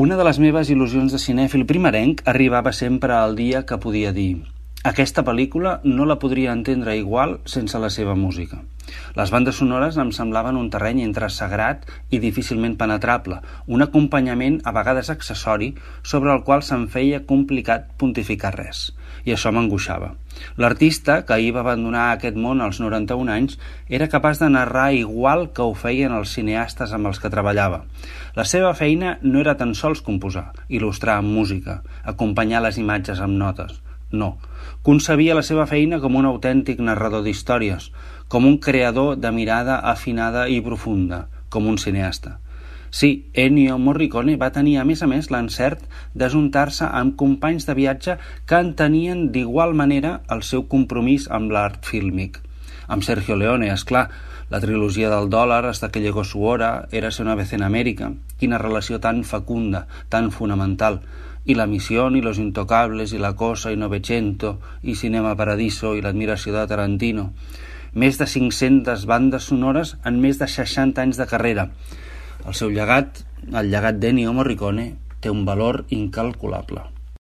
Una de les meves il·lusions de cinèfil primerenc arribava sempre al dia que podia dir: aquesta pel·lícula no la podria entendre igual sense la seva música. Les bandes sonores em semblaven un terreny entre sagrat i difícilment penetrable, un acompanyament a vegades accessori sobre el qual se'm feia complicat pontificar res, i això m'angoixava. L'artista, que ahir va abandonar aquest món als 91 anys, era capaç de narrar igual que ho feien els cineastes amb els que treballava. La seva feina no era tan sols composar, il·lustrar amb música, acompanyar les imatges amb notes. No, concebia la seva feina com un autèntic narrador d'històries, com un creador de mirada afinada i profunda, com un cineasta. Sí, Ennio Morricone va tenir a més l'encert d'ajuntar-se amb companys de viatge que entenien d'igual manera el seu compromís amb l'art fílmic. Amb Sergio Leone, esclar, la trilogia del dòlar hasta que llegó su hora, Érase una vez en América, quina relació tan fecunda, tan fonamental, i La Misión, i Los Intocables, i La Cosa, i Novecento, i Cinema Paradiso, i l'admiració de Tarantino. Més de 500 bandes sonores en més de 60 anys de carrera. El seu llegat, el llegat d'Ennio Morricone, té un valor incalculable.